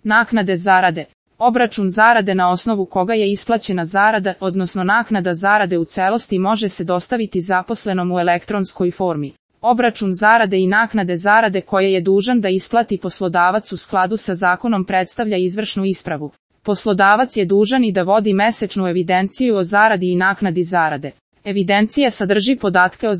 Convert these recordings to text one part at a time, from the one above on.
Naknade zarade. Obračun zarade na osnovu koga je isplaćena zarada, odnosno naknada zarade u celosti može se dostaviti zaposlenom u elektronskoj formi. Obračun zarade i naknade zarade koje je dužan da isplati poslodavac u skladu sa zakonom predstavlja izvršnu ispravu. Poslodavac je dužan i da vodi mesečnu evidenciju o zaradi i naknadi zarade. Evidencija sadrži podatke o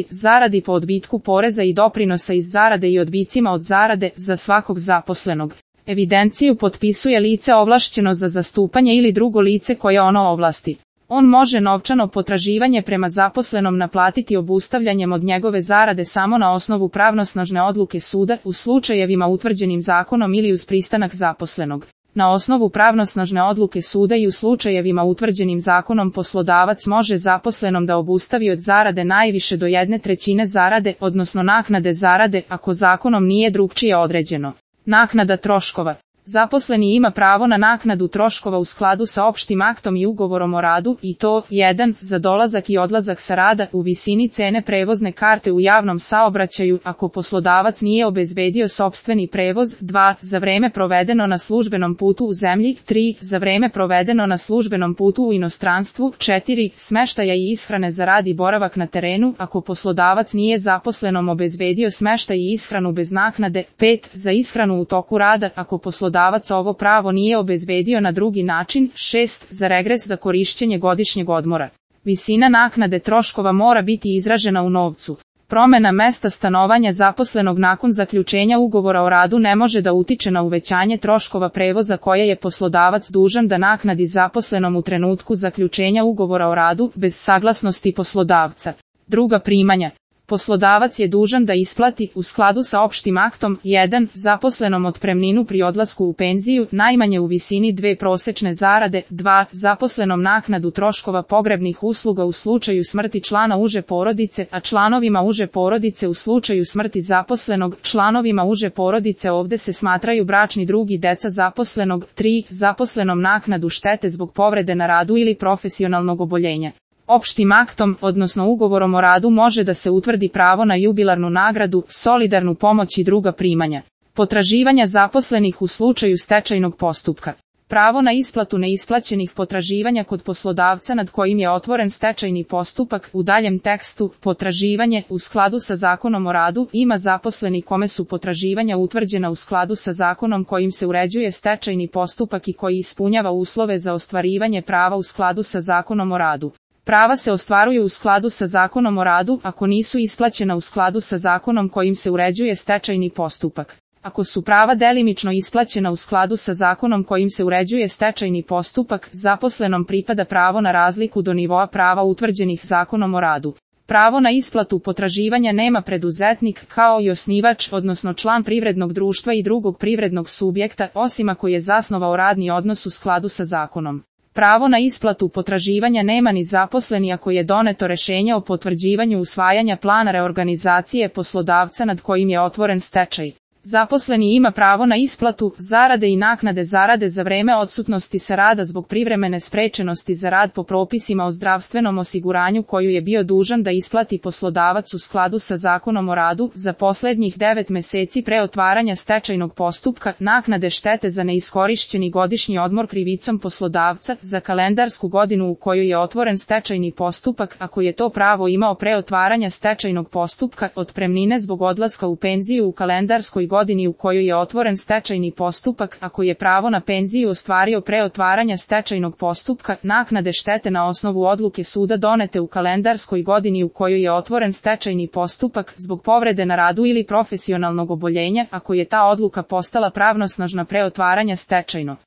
zaradi po odbitku poreza i doprinosa iz zarade i odbicima od zarade za svakog zaposlenog. Evidenciju potpisuje lice ovlašćeno za zastupanje ili drugo lice koje ono ovlasti. On može novčano potraživanje prema zaposlenom naplatiti obustavljanjem od njegove zarade samo na osnovu pravnosnažne odluke suda u slučajevima utvrđenim zakonom ili uz pristanak zaposlenog. Na osnovu pravnosnažne odluke suda i u slučajevima utvrđenim zakonom poslodavac može zaposlenom da obustavi od zarade najviše do 1/3 zarade, odnosno naknade zarade, ako zakonom nije drukčije određeno. Naknada troškova. Zaposleni ima pravo na naknadu troškova u skladu sa opštim aktom i ugovorom o radu i to 1. za dolazak i odlazak sa rada u visini cene prevozne karte u javnom saobraćaju ako poslodavac nije obezbedio sopstveni prevoz, 2. za vreme provedeno na službenom putu u zemlji, 3. za vreme provedeno na službenom putu u inostranstvu, 4. smeštaja i ishrane za rad i boravak na terenu ako poslodavac nije zaposlenom obezbedio smeštaj i ishranu bez naknade, 5. za ishranu u toku rada ako poslodavac ovo pravo nije obezbedio na drugi način, 6. za regres za korišćenje godišnjeg odmora. Visina naknade troškova mora biti izražena u novcu. Promena mesta stanovanja zaposlenog nakon zaključenja ugovora o radu ne može da utiče na uvećanje troškova prevoza koje je poslodavac dužan da naknadi zaposlenom u trenutku zaključenja ugovora o radu bez saglasnosti poslodavca. Druga primanja. Poslodavac je dužan da isplati, u skladu sa opštim aktom, 1. zaposlenom otpremninu pri odlasku u penziju, najmanje u visini 2 prosečne zarade, 2. zaposlenom naknadu troškova pogrebnih usluga u slučaju smrti člana uže porodice, a članovima uže porodice u slučaju smrti zaposlenog, članovima uže porodice ovde se smatraju bračni drug i deca zaposlenog, 3. zaposlenom naknadu štete zbog povrede na radu ili profesionalnog oboljenja. Opštim aktom, odnosno ugovorom o radu može da se utvrdi pravo na jubilarnu nagradu, solidarnu pomoć i druga primanja. Potraživanja zaposlenih u slučaju stečajnog postupka. Pravo na isplatu neisplaćenih potraživanja kod poslodavca nad kojim je otvoren stečajni postupak, u daljem tekstu, potraživanje, u skladu sa zakonom o radu, ima zaposleni kome su potraživanja utvrđena u skladu sa zakonom kojim se uređuje stečajni postupak i koji ispunjava uslove za ostvarivanje prava u skladu sa zakonom o radu. Prava se ostvaruju u skladu sa zakonom o radu ako nisu isplaćena u skladu sa zakonom kojim se uređuje stečajni postupak. Ako su prava delimično isplaćena u skladu sa zakonom kojim se uređuje stečajni postupak, zaposlenom pripada pravo na razliku do nivoa prava utvrđenih zakonom o radu. Pravo na isplatu potraživanja nema preduzetnik, kao i osnivač, odnosno član privrednog društva i drugog privrednog subjekta, osim ako je zasnovao radni odnos u skladu sa zakonom. Pravo na isplatu potraživanja nema ni zaposleni ako je doneto rešenje o potvrđivanju usvajanja plana reorganizacije poslodavca nad kojim je otvoren stečaj. Zaposleni ima pravo na isplatu zarade i naknade zarade za vreme odsutnosti sa rada zbog privremene sprečenosti za rad po propisima o zdravstvenom osiguranju koju je bio dužan da isplati poslodavac u skladu sa zakonom o radu za poslednjih 9 meseci pre otvaranja stečajnog postupka, naknade štete za neiskorišćeni godišnji odmor krivicom poslodavca za kalendarsku godinu u kojoj je otvoren stečajni postupak ako je to pravo imao pre otvaranja stečajnog postupka, otpremnine zbog odlaska u penziju u kalendarskoj godini u kojoj je otvoren stečajni postupak ako je pravo na penziju ostvario pre otvaranja stečajnog postupka, naknade štete na osnovu odluke suda donete u kalendarskoj godini u kojoj je otvoren stečajni postupak zbog povrede na radu ili profesionalnog oboljenja ako je ta odluka postala pravnosnažna pre otvaranja stečajnog